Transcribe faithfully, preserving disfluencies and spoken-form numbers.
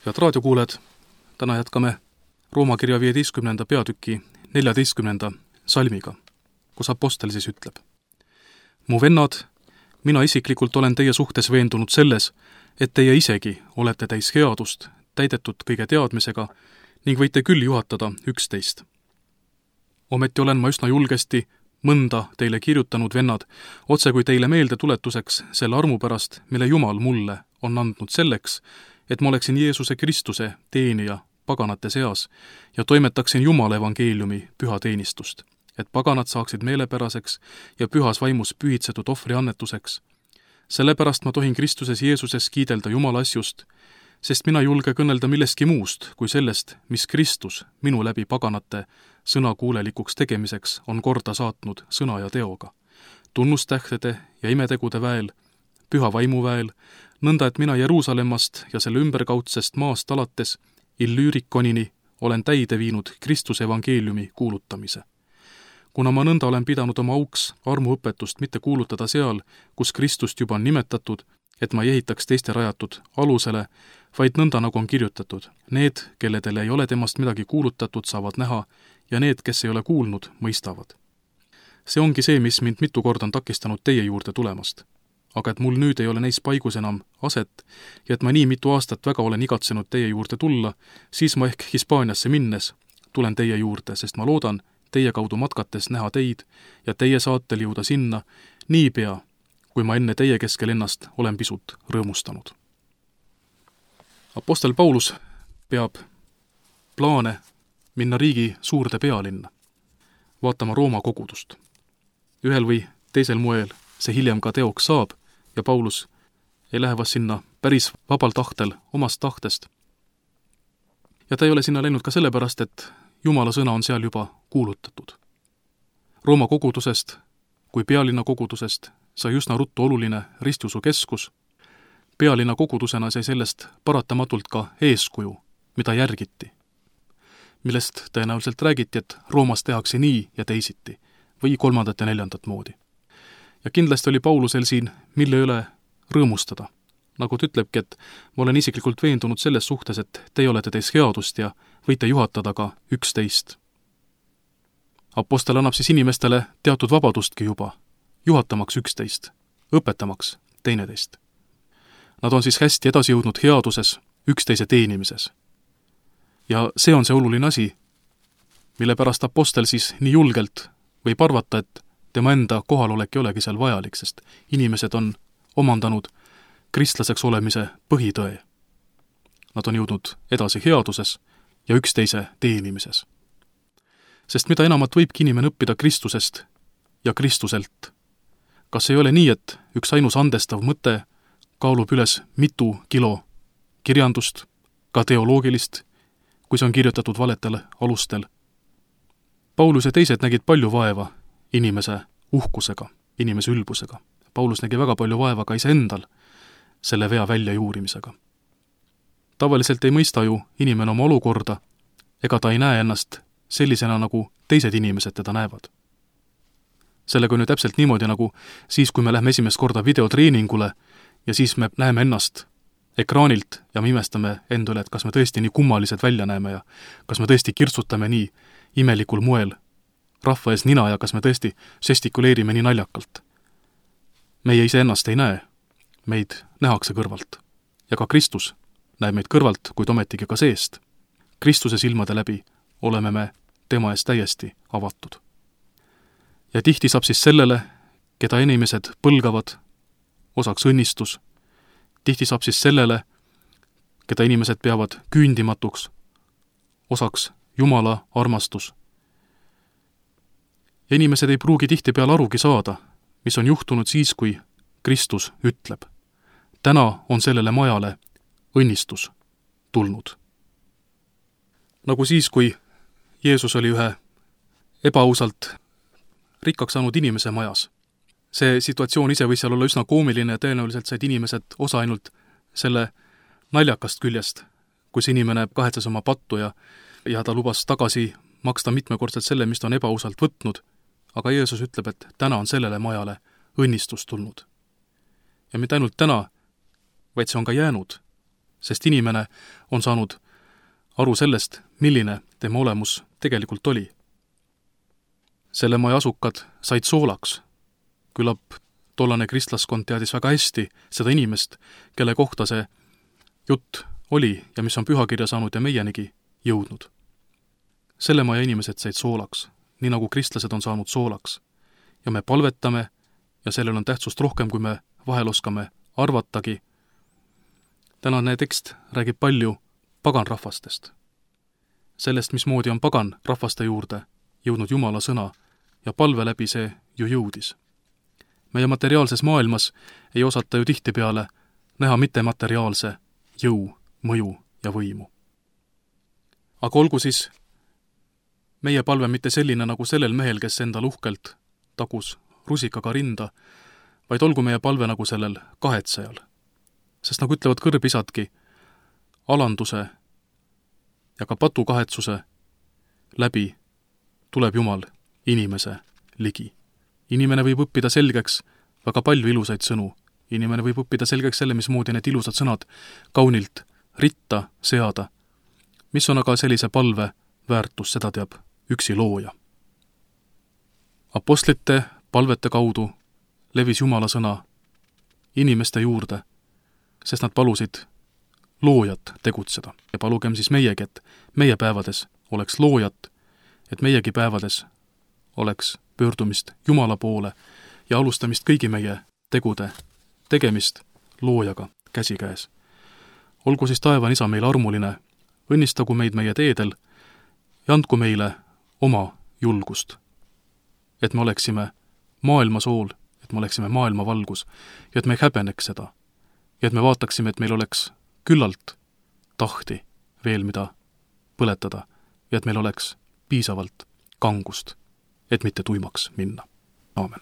Head raadiokuuled, täna jätkame Rooma kirja viieteistkümnenda peatüki neljateistkümnenda salmiga, kus apostel siis ütleb: Mu vennad, mina isiklikult olen teie suhtes veendunud selles, et teie isegi olete täis headust, täidetud kõige teadmisega ning võite küll juhatada üksteist. Ometi olen ma üsna julgesti mõnda teile kirjutanud, vennad, otse kui teile meelde tuletuseks selle armu pärast, mille Jumal mulle on andnud selleks, et ma oleksin Jeesuse Kristuse teenija paganate seas ja toimetaksin Jumala evangeeliumi püha teenistust, et paganad saaksid meelepäraseks ja pühas vaimus pühitsetud ohvri annetuseks. Sellepärast ma tohin Kristuses Jeesuses kiidelda Jumala asjust, sest mina julge kõnelda millestki muust kui sellest, mis Kristus minu läbi paganate sõnakuulelikuks tegemiseks on korda saatnud sõna ja teoga, tunnustähtede ja imetegude väel, püha vaimu väel, nõnda et mina Jeruusalemmast ja selle ümberkaudsest maast alates Illüürikonini olen täide viinud Kristuse evangeeliumi kuulutamise. Kuna ma nõnda olen pidanud oma auks armuõpetust mitte kuulutada seal, kus Kristust juba on nimetatud, et ma ei ehitaks teiste rajatud alusele, vaid nõnda nagu on kirjutatud: need, kelledele ei ole temast midagi kuulutatud, saavad näha ja need, kes ei ole kuulnud, mõistavad. See ongi see, mis mind mitu korda on takistanud teie juurde tulemast. Aga et mul nüüd ei ole neis paigus enam aset ja et ma nii mitu aastat väga olen igatsenud teie juurde tulla, siis ma ehk Hispaaniasse minnes tulen teie juurde, sest ma loodan teie kaudu matkates näha teid ja teie saatel jõuda sinna niipea, kui ma enne teie keskel ennast olen pisut rõõmustanud. Apostel Paulus peab plaane minna riigi suurde pealinna, vaatama Rooma kogudust. Ühel või teisel moel see hiljem ka teoks saab ja Paulus ei lähe vast sinna päris vabal tahtel, omast tahtest. Ja ta ei ole sinna läinud ka sellepärast, et Jumala sõna on seal juba kuulutatud. Rooma kogudusest kui pealinna kogudusest sai üsna ruttu oluline ristiusu keskus. Pealinna kogudusena sai sellest paratamatult ka eeskuju, mida järgiti, millest tõenäoliselt räägiti, et Roomas tehakse nii ja teisiti või kolmandat ja neljandat moodi. Ja kindlasti oli Paulusel siin, mille üle rõõmustada. Nagu ta ütlebki, et ma olen isiklikult veendunud selles suhtes, et teie olete teis headust ja võite juhatada ka üksteist. Apostel annab siis inimestele teatud vabadustki juba, juhatamaks üksteist, õpetamaks teineteist. Nad on siis hästi edasi jõudnud headuses, üksteise teenimises. Ja see on see oluline asi, mille pärast apostel siis nii julgelt võib arvata, et tema enda kohalolek ei olegi seal vajalik, sest inimesed on omandanud kristlaseks olemise põhitõe. Nad on jõudnud edasi headuses ja üksteise teenimises. Sest mida enamat võibki inimene õppida Kristusest ja Kristuselt. Kas ei ole nii, et üks ainus andestav mõte kaalub üles mitu kilo kirjandust, ka teoloogilist, kui see on kirjutatud valetel alustel? Paulus ja teised nägid palju vaeva inimese uhkusega, inimese ülbusega. Paulus nägi väga palju vaeva ka iseendal selle vea väljajuurimisega. Tavaliselt ei mõista ju inimene oma olukorda, ega ta ei näe ennast sellisena, nagu teised inimesed teda näevad. Sellega on ju täpselt niimoodi, nagu siis, kui me lähme esimest korda videotreeningule ja siis me näeme ennast ekraanilt ja me imestame endale, et kas me tõesti nii kummalised välja näeme ja kas me tõesti kirtsutame nii imelikul moel rahva ees nina ja kas me tõesti žestikuleerime nii naljakalt. Meie ise ennast ei näe, meid nähakse kõrvalt. Ja ka Kristus näeb meid kõrvalt, kuid ometigi ka seest. Kristuse silmade läbi oleme me tema ees täiesti avatud. Ja tihti saab siis sellele, keda inimesed põlgavad, osaks õnnistus. Tihti saab siis sellele, keda inimesed peavad küündimatuks, osaks Jumala armastus. Ja inimesed ei pruugi tihti peale arugi saada, mis on juhtunud siis, kui Kristus ütleb: täna on sellele majale õnnistus tulnud. Nagu siis, kui Jeesus oli ühe ebaausalt rikkaks saanud inimese majas. See situatsioon ise võis seal olla üsna koomiline ja tõenäoliselt said inimesed osa ainult selle naljakast küljest, kus inimene kahetses oma pattu ja, ja ta lubas tagasi maksta mitmekordselt selle, mis ta on ebaausalt võtnud. Aga Jeesus ütleb, et täna on sellele majale õnnistus tulnud. Ja mitte ainult täna, vaid see on ka jäänud sest inimene on saanud aru sellest, milline tema olemus tegelikult oli. Selle maja asukad said soolaks. Küllap tollane kristlaskond teadis väga hästi seda inimest, kelle kohta see jutt oli ja mis on pühakirja saanud ja meienigi jõudnud. Selle maja inimesed said soolaks, nii nagu kristlased on saanud soolaks. Ja me palvetame ja sellel on tähtsust rohkem, kui me vahel oskame arvatagi. Tänane tekst räägib palju pagan rahvastest. Sellest, mismoodi on pagan rahvaste juurde jõudnud Jumala sõna ja palve läbi see ju jõudis. Meie materiaalses maailmas ei osata ju tihtipeale näha mittemateriaalse jõu, mõju ja võimu. Aga olgu siis meie palve mitte selline nagu sellel mehel, kes endal uhkelt tagus rusikaga rinda, vaid olgu meie palve nagu sellel kahetsejal. Sest nagu ütlevad kõrbisadki, alanduse ja ka patukahetsuse läbi tuleb Jumal inimese ligi. Inimene võib õppida selgeks väga palju ilusaid sõnu. Inimene võib õppida selgeks selle, mismoodi need ilusad sõnad kaunilt ritta seada. Mis on aga sellise palve väärtus, seda teab üksi looja. Apostlite palvete kaudu levis Jumala sõna inimeste juurde, sest nad palusid loojat tegutseda. Ja palugem siis meiegi, et meie päevades oleks loojat, et meiegi päevades oleks pöördumist Jumala poole ja alustamist kõigi meie tegude tegemist loojaga käsikäes. Olgu siis taevan isa meile armuline, õnnistagu meid meie teedel ja andku meile oma julgust, et me oleksime maailma sool, et me oleksime maailma valgus ja et me ei häbeneks seda ja et me vaataksime, et meil oleks küllalt tahti veel mida põletada ja et meil oleks piisavalt kangust, et mitte tuimaks minna. Aamen.